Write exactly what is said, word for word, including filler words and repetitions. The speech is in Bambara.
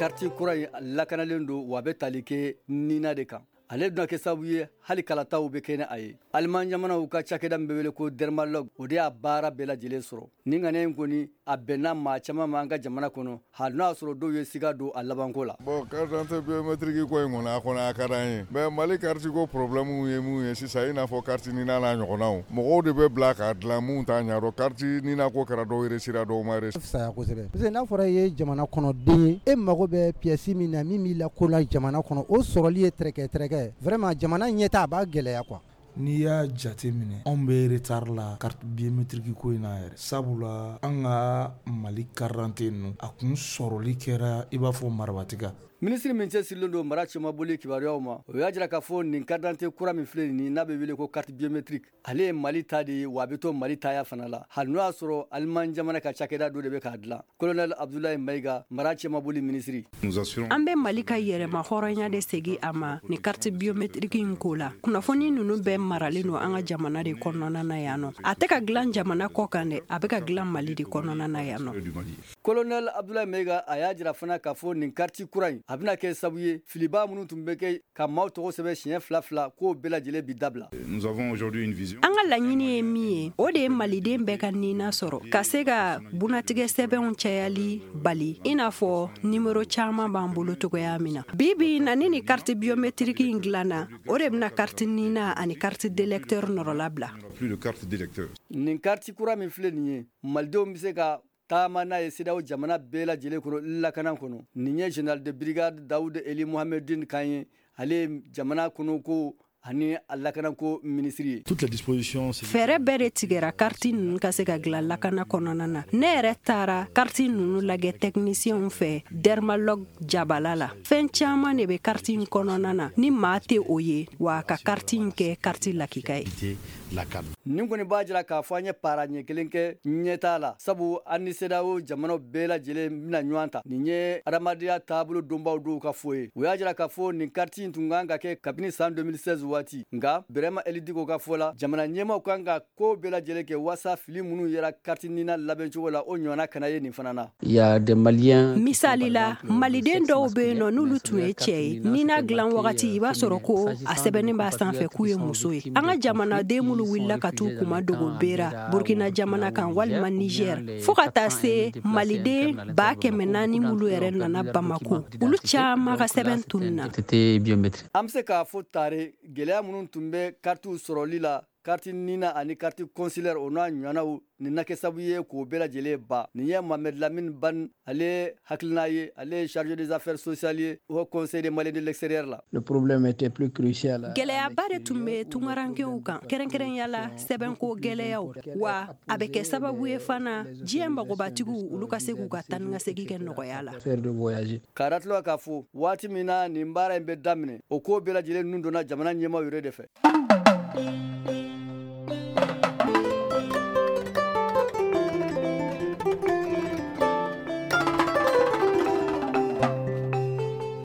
Carte kura in lakanalen don, wa a bɛ tali kɛ nina de kan. Ale bɛna kɛ sababu ye hali kalataw bɛ kɛ ni a ye. Aliman jamanaw ka cakɛda min bɛ wele ko Dermalog, o de y'a baara bɛɛ lajɛlen sɔrɔ. Nin ŋaniya in kɔni, a bɛnna maa caman ma an ka jamana kɔnɔ, hali n'o y'a sɔrɔ dɔw ye siga don a labanko la. Bon, carte d'identité biométrique ko in kɔni, a kɔni a ka d'an ye, mais Mali carte ko problème ye mun ye sisan, i n'a fɔ carte NINA n'a ɲɔgɔnnaw, mɔgɔw de bɛ bila k'a dilan mun t'a ɲɛdɔn. Carte NINA ko kɛra, dɔw réussira, dɔw ma réussir. Fisaya kosɛbɛ, parce que n'a fɔra i ye jamana kɔnɔden ye, e mago bɛ pièce min na min b'i la ko la jamana kɔnɔ, o sɔrɔli ye tɛrɛkɛ tɛrɛkɛ. Vraiment, jamana ɲɛta, a b'a gɛlɛya quoi. N'i y'a jate minɛ, anw bɛ retard la carte biométrique ko in na yɛrɛ, sabula an ka Mali carte d'identité ninnu, a kun sɔrɔli kɛra i b'a fɔ marabatika. Minisiri min cɛsirilen don mara cɛmaboli kibaruyaw ma, o y'a jira k'a fɔ nin carte d'identité kura min filɛ nin, n'a bɛ wele ko carte biométrique, ale ye Mali ta de ye, wa a bɛ to Mali taya fana la, hali n'o y'a sɔrɔ Aliman jamana ka cakɛda dɔ de bɛ k'a dilan. Colonel Abdoulaye Mayiga, mara cɛmaboli minisiri. An bɛ Mali ka yɛrɛma hɔrɔnya de segin a ma ni carte biométrique in ko la. Kunnafoni ninnu bɛɛ maralen don an ka jamana de kɔnɔna na yan nɔ. A tɛ ka dilan jamana kɔ kan dɛ, a bɛ ka dilan Mali de kɔnɔna na yan nɔ. Colonel Abdoulaye Mayiga, a y'a jira fana k'a fɔ nin carte kura in, a bɛna kɛ sababu ye filiba minnu tun bɛ kɛ ka maaw tɔgɔ sɛbɛn siɲɛ fila fila, k'o bɛɛ lajɛlen bi dabila. An ka laɲini ye min ye, o de ye maliden bɛɛ ka nina sɔrɔ, ka se ka bunatigɛ sɛbɛnw cayali bali, i n'a fɔ nimero caman b'an bolo cogoya min na bi bi in na. Ni ni carte biométrique in dilanna, o de bɛna carte nina ani carte d'électeur nɔrɔla bila. Nin carte kura min filɛ nin ye, malidenw bɛ se ka taama n'a ye CEDEAO jamana bɛɛ lajɛlen kɔnɔ lakana kɔnɔ. Nin ye général de brigade Dawud Eli Mohamedine kan ye, ale ye jamana kɔnɔ ko ani a lakanako minisiri ye. Fɛɛrɛ bɛɛ de tigɛra carte ninnu ka se ka dilan lakana kɔnɔna na. Ne yɛrɛ taara carte ninnu lajɛ technicienw fɛ Dermalog jabala la. Fɛn caman de bɛ carte in kɔnɔna na ni maa tɛ o ye, wa ka carte in kɛ carte lakika ye. Nin kɔni b'a jira k'a fɔ an ye para ɲɛ kelen kɛ ɲɛtaa la, sabu an ni CEDEAO jamanaw bɛɛ lajɛlen bɛna ɲɔgɔn ta. Nin ye adamadenya taabolo donbaw dɔw ka fɔ ye. O y'a jira k'a fɔ nin carte in tun kan ka kɛ kabini san deux mille seize waati, nka Bɛrɛma Elidiko ka fɔ la, jamana ɲɛmaw kan ka ko bɛɛ lajɛlen kɛ waasa fili minnu yera carte NINA labɛncogo la, o ɲɔgɔnna kana ye nin fana na. Misali la, maliden dɔw bɛ yen nɔ, n'olu tun ye cɛ ye, nina dilan wagati, i b'a sɔrɔ ko a sɛbɛnnen b'a sanfɛ k'u ye muso ye. An ka jamanaden minnu wulila ka t'u kuma dogo bera Burkina jamana kan walima Niger, fo ka taa se maliden ba kɛmɛ naani minnu yɛrɛ nana Bamako, olu caman ka sɛbɛn tununna. An bɛ se k'a fɔ tare gɛlɛya minnu tun bɛ karitiw sɔrɔli la, carte NINA ani carte consulaire, o n'a ɲɔgɔnnaw, nin na kɛ sababu ye k'o bɛɛ lajɛlen ba. Nin ye Mohamed Lamine Ban, ale hakilina ye. Ale ye chargé des affaires sociales ye au Conseil des Maliens de l'extérieur la. Le problème était plus crucial. Gɛlɛyaba de tun bɛ tungarankew kan, kɛrɛnkɛrɛnya la sɛbɛnko gɛlɛyaw, wa a bɛ kɛ sababu ye fana diɲɛ magobatigiw, olu ka se k'u ka taa ni ka segin kɛ nɔgɔya la. Faire de voyager. K'a datila k'a fɔ waati min na nin baara in bɛ daminɛ, o ko bɛɛ lajɛlen nun donna jamana ɲɛmaaw yɛrɛ de fɛ.